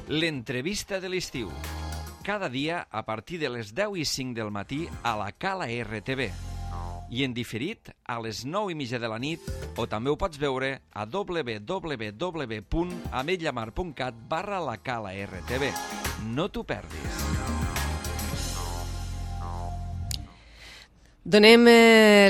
L'entrevista de l'estiu. Cada dia a partir de les 10:05 del matí a la Cala RTV. I en diferit a les 9:30 de la nit, o també ho pots veure a www.ametlllamar.cat/la Cala RTV. No t'ho perdis. Donem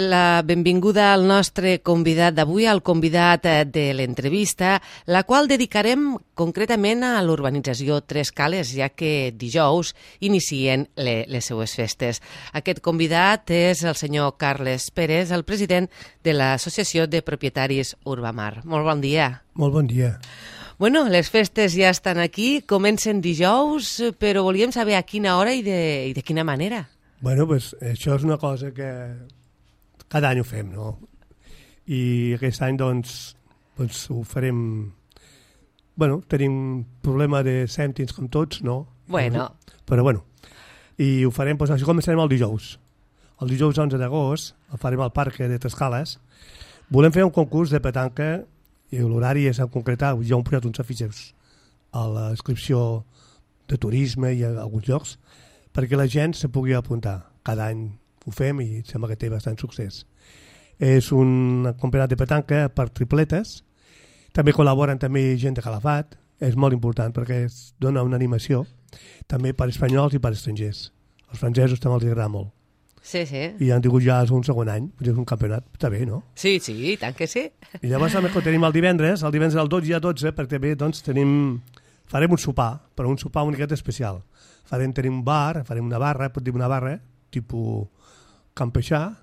la benvinguda al nostre convidat d'avui, al convidat de l'entrevista, la qual dedicarem concretament a l'urbanització Tres Cales, ja que dijous inicien les seues festes. Aquest convidat és el senyor Carles Pérez, el president de l'Associació de Propietaris Urbamar. Molt bon dia. Molt bon dia. Bueno, les festes ja estan aquí, comencen dijous, però volíem saber a quina hora i de quina manera. Bueno, pues això és una cosa que cada any ho fem, no? I aquest any, doncs ho farem... Bueno, tenim problema de cèntims com tots, no? Bueno. Però bueno, i ho farem, doncs això començarem el dijous. El dijous 11 d'agost el farem al Parc de Tres Cales. Volem fer un concurs de petanca i l'horari és en concretar, ja hem posat uns afixos a la inscripció de turisme i a alguns llocs, perquè la gent se pugui apuntar. Cada any ho fem i sembla que té bastant succés. És un campionat de petanca per tripletes. També col·laboren també gent de Calafat. És molt important perquè es dona una animació també per espanyols i per estrangers. Els francesos també els agrada molt. Sí, sí. I han tingut ja un segon any. És un campionat, està bé, no? Sí, sí, tant que sí. I llavors també tenim el divendres del 12, perquè també doncs, farem un sopar, però un sopar una miqueta especial. Tenim un bar, farem una barra, pot dir una barra, tipus campeixà,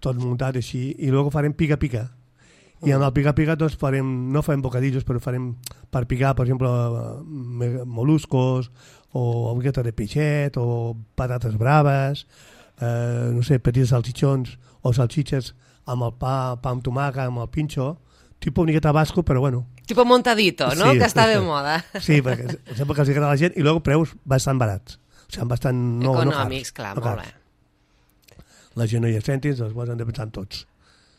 tot muntat així, i després farem pica-pica. I en el pica-pica doncs no farem bocadillos, però farem per picar, per exemple, moluscos, o una miqueta de peixet, o patates braves, no sé, petits salchichons, o salchiches amb el pa amb tomàquet, amb el pinxo, tipus una miqueta basco, però bueno. Tipo montadito, no? Sí, que està de moda. Sí, perquè sembla que els agrada a la gent i després preus bastant barats. O sigui, bastant econòmics, clar, molt bé. La gent no hi ha cèntims, els han de pensar en tots.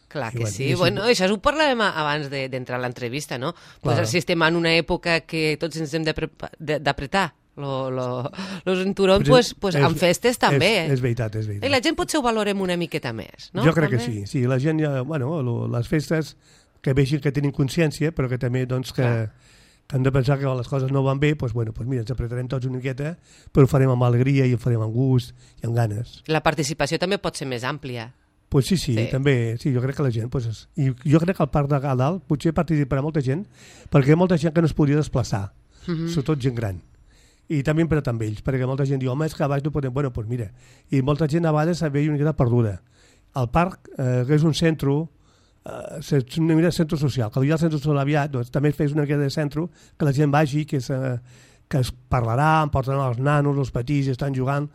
Clar que sí. Bueno, això ho parlàvem abans d'entrar a l'entrevista, no? Pues si estem en una època que tots ens hem d'apretar los cinturons, pues amb festes també. És veritat, és veritat. I la gent potser ho valorem una miqueta més, no? Jo crec que sí. Sí, la gent ja, bueno, les festes que vegin que tenim consciència, però que també doncs, que han de pensar que les coses no van bé, doncs, bueno, doncs mira, ens apretarem tots una miqueta, però ho farem amb alegria i ho farem amb gust i amb ganes. La participació també pot ser més àmplia. Pues sí, també, sí, jo crec que la gent... Pues, i jo crec que al Parc de Dalt potser participarà molta gent, perquè hi ha molta gent que no es podria desplaçar, sobretot gent gran. I també per amb ells, perquè molta gent diu, home, és que a baix no podem... Bueno, doncs mira, i molta gent a vegades se veia una miqueta perduda. El parc, que és un centre, una mica de centre social, que hi ha el centre social aviat, doncs també fes una mica de centre, que la gent vagi, que es parlarà, porten els nanos, els petits, estan jugant.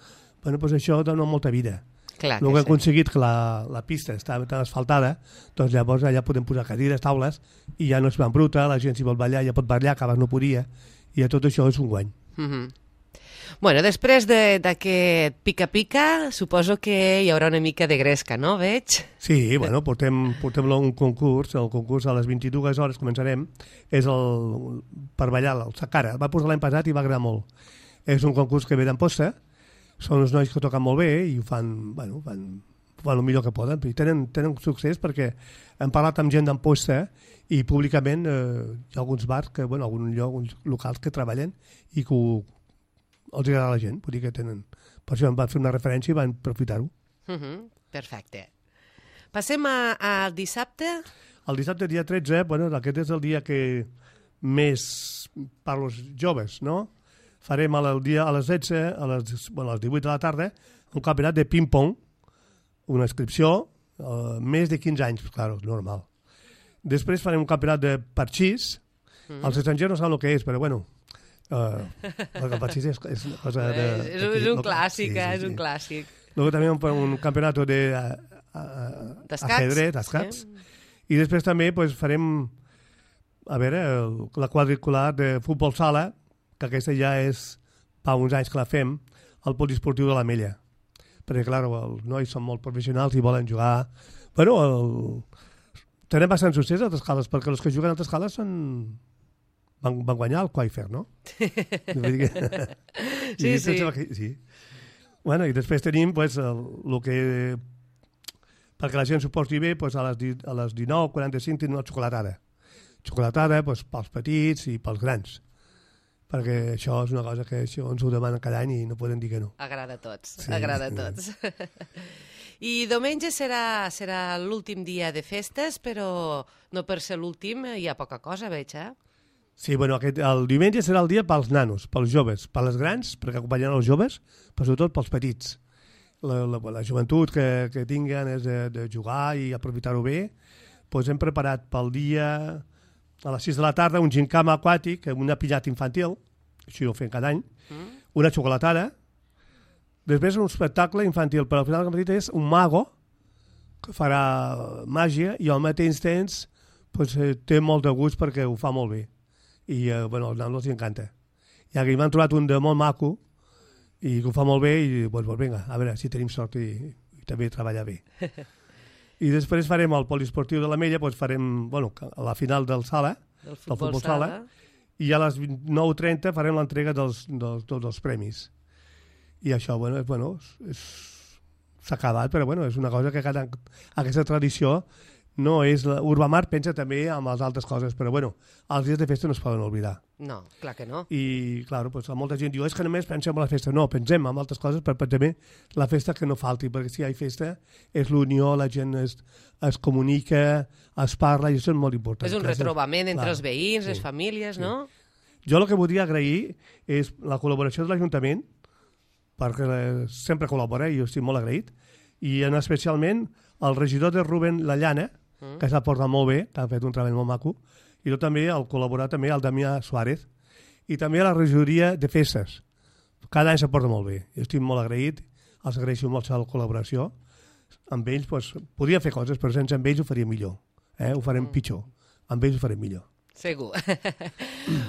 Bueno, doncs això dona molta vida. Clar que hem aconseguit que la pista està tan asfaltada, doncs llavors allà podem posar cadires, taules, i ja no es va embruta, la gent si vol ballar ja pot ballar, que abans no podia, i tot això és un guany. Bueno, després d'aquest pica-pica, suposo que hi haurà una mica de gresca, no? Veig? Sí, bueno, portem un concurs, el concurs a les 22 hores començarem, és per ballar el Sacara, el va posar l'any passat i va agradar molt. És un concurs que ve d'Amposta, són uns nois que toquen molt bé i ho fan, bueno, fan el millor que poden, i tenen succés perquè hem parlat amb gent d'Amposta i públicament hi ha alguns bars, alguns locals que treballen i que els agrada a la gent, vull dir que tenen... Per això em van fer una referència i van aprofitar-ho. Perfecte. Passem al dissabte? El dissabte, dia 13, bueno, aquest és el dia que més per als joves, no? Farem a les 16, a les 18 de la tarda, un campionat de ping-pong, una inscripció, més de 15 anys, clar, és normal. Després farem un campionat de parxís, els estrangers no saben el que és, però bueno, el parxís és una cosa de... És un clàssic, és un clàssic. Luego també un campionat de ajedrez, d'escacs, i després també farem, a veure, la quadricular de futbol sala, que aquesta ja és fa uns anys que la fem, al poliesportiu de l'Ametlla. Perquè, clar, els nois són molt professionals i volen jugar... Bueno, tenim bastant succés a Tres Cales, perquè els que juguen a Tres Cales van guanyar el Quaifer, no? Sí. Sí. Bueno, i després tenim pues, el que... Perquè la gent s'ho posi bé, pues, a les 19:45 tenim la xocolatada. Xocolatada pues, pels petits i pels grans. Perquè això és una cosa que això ens ho demanen cada any i no podem dir que no. Agrada a tots, Sí, agrada a tots. I diumenge serà l'últim dia de festes, però no per ser l'últim hi ha poca cosa, veig, eh? Sí, bueno, el diumenge serà el dia pels nanos, pels joves, per les grans, perquè acompanyaran els joves, però sobretot pels petits. La joventut que tinguen és de jugar i aprofitar-ho bé. Doncs hem preparat pel dia, a les 6 de la tarda, un gincama aquàtic, una pinyata infantil, així ho fem cada any, una xocolatada, després un espectacle infantil, però al final del matí és un mago que farà màgia i al mateix temps pues, té molt de gust perquè ho fa molt bé. I bueno, als nanos els encanta. I aquí m'han trobat un de molt maco i que ho fa molt bé i doncs, vinga, a veure si tenim sort i també treballar bé. I després farem el poliesportiu de l'Ametlla, doncs farem, bueno, a la final del sala, del futbol sala, i a les 9:30 farem l'entrega tots els premis. I això, bueno, s'ha acabat, però bueno, és una cosa que aquesta tradició no és... Urbamar pensa també en les altres coses, però bueno, els dies de festa no es poden oblidar. No, clar que no. I, clar, pues, molta gent diu, és que només pensem en la festa. No, pensem en altres coses, però també la festa que no falti, perquè si hi ha festa és l'unió, la gent es comunica, es parla, i això és molt important. És un retrobament entre els veïns, les famílies, no? Jo el que voldria agrair és la col·laboració de l'Ajuntament, perquè sempre col·labora i jo estic molt agraït, i especialment el regidor de Rubén La Llana, que s'ha portat molt bé, que ha fet un treball molt maco, i també el col·laborar també el Damià Suárez, i també la regidoria de festes. Cada any s'ha portat molt bé. Jo estic molt agraït, els agraeixo molt la col·laboració. Amb ells, doncs, podria fer coses, però sense amb ells ho faria millor. Ho farem pitjor. Amb ells ho farem millor. Segur.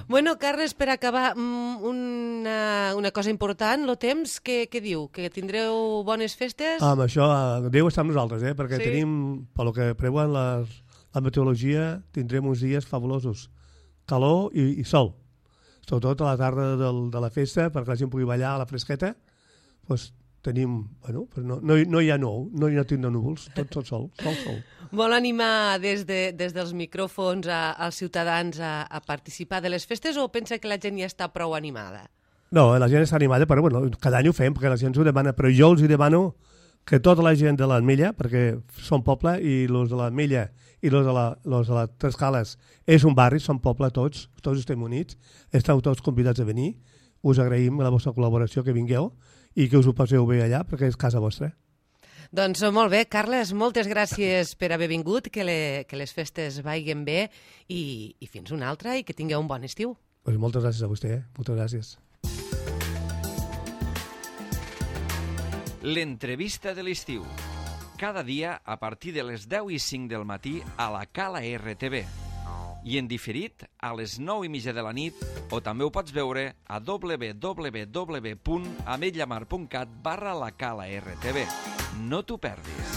Bueno, Carles, per acabar, una cosa important, el temps, què diu? Que tindreu bones festes? Amb això, Déu està amb nosaltres, perquè tenim, pel que preveuen la meteorologia, tindrem uns dies fabulosos. Calor i sol. Sobretot a la tarda de la festa, perquè la gent pugui ballar a la fresqueta, doncs tenim, bueno, no hi ha no hi ha tinc de núvols, tot sol. Vol animar des dels micròfons als ciutadans a participar de les festes o pensa que la gent ja està prou animada? No, la gent està animada, però bueno, cada any ho fem, perquè la gent s'ho demana, però jo els demano que tota la gent de l'Ametlla, perquè som poble, i els de l'Ametlla i els de les Tres Cales és un barri, som poble tots estem units, esteu tots convidats a venir, us agraïm la vostra col·laboració, que vingueu, i que us ho passeu bé allà, perquè és casa vostra. Doncs molt bé, Carles, moltes gràcies per haver vingut, que les festes vagin bé i fins una altra i que tingueu un bon estiu. Pues moltes gràcies a vostè, moltes gràcies. L'entrevista de l'estiu. Cada dia a partir de les 10:05 del matí a la Cala RTV. I en diferit a les 9:30 de la nit, o també ho pots veure a www.ametllamar.cat/la Cala RTV. No t'ho perdis.